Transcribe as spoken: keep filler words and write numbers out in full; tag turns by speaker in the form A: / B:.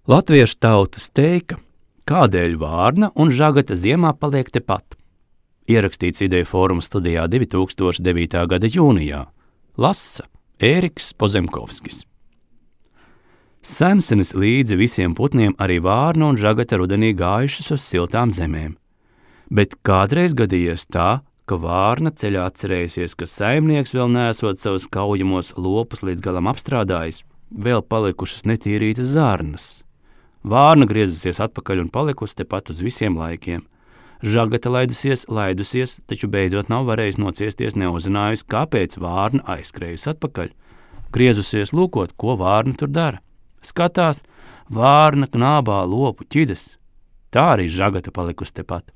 A: Latviešu tautas teika, kādēļ vārna un žagata ziemā paliek tepat. Ierakstīts Ideju fóruma studijā divi tūkstoši devītā gada jūnijā. Lasa Ēriks Pozemkovskis. Sensenis līdzi visiem putniem arī vārna un žagata rudenī gājušas uz siltām zemēm. Bet kādreiz gadījies tā, ka vārna ceļā atcerējusies, ka saimnieks vēl neesot savus kaujamos lopus līdz galam apstrādājis, vēl palikušas netīrītas zarnas. Vārna griezusies atpakaļ un palikusi tepat uz visiem laikiem. Žagata laidusies, laidusies, taču beidzot nav varējis nociesties, neuzzinājusi, kāpēc vārna aizskrējusi atpakaļ. Griezusies lūkot, ko vārna tur dara. Skatās, vārna knābā lopu ķidas. Tā arī žagata palikusi tepat.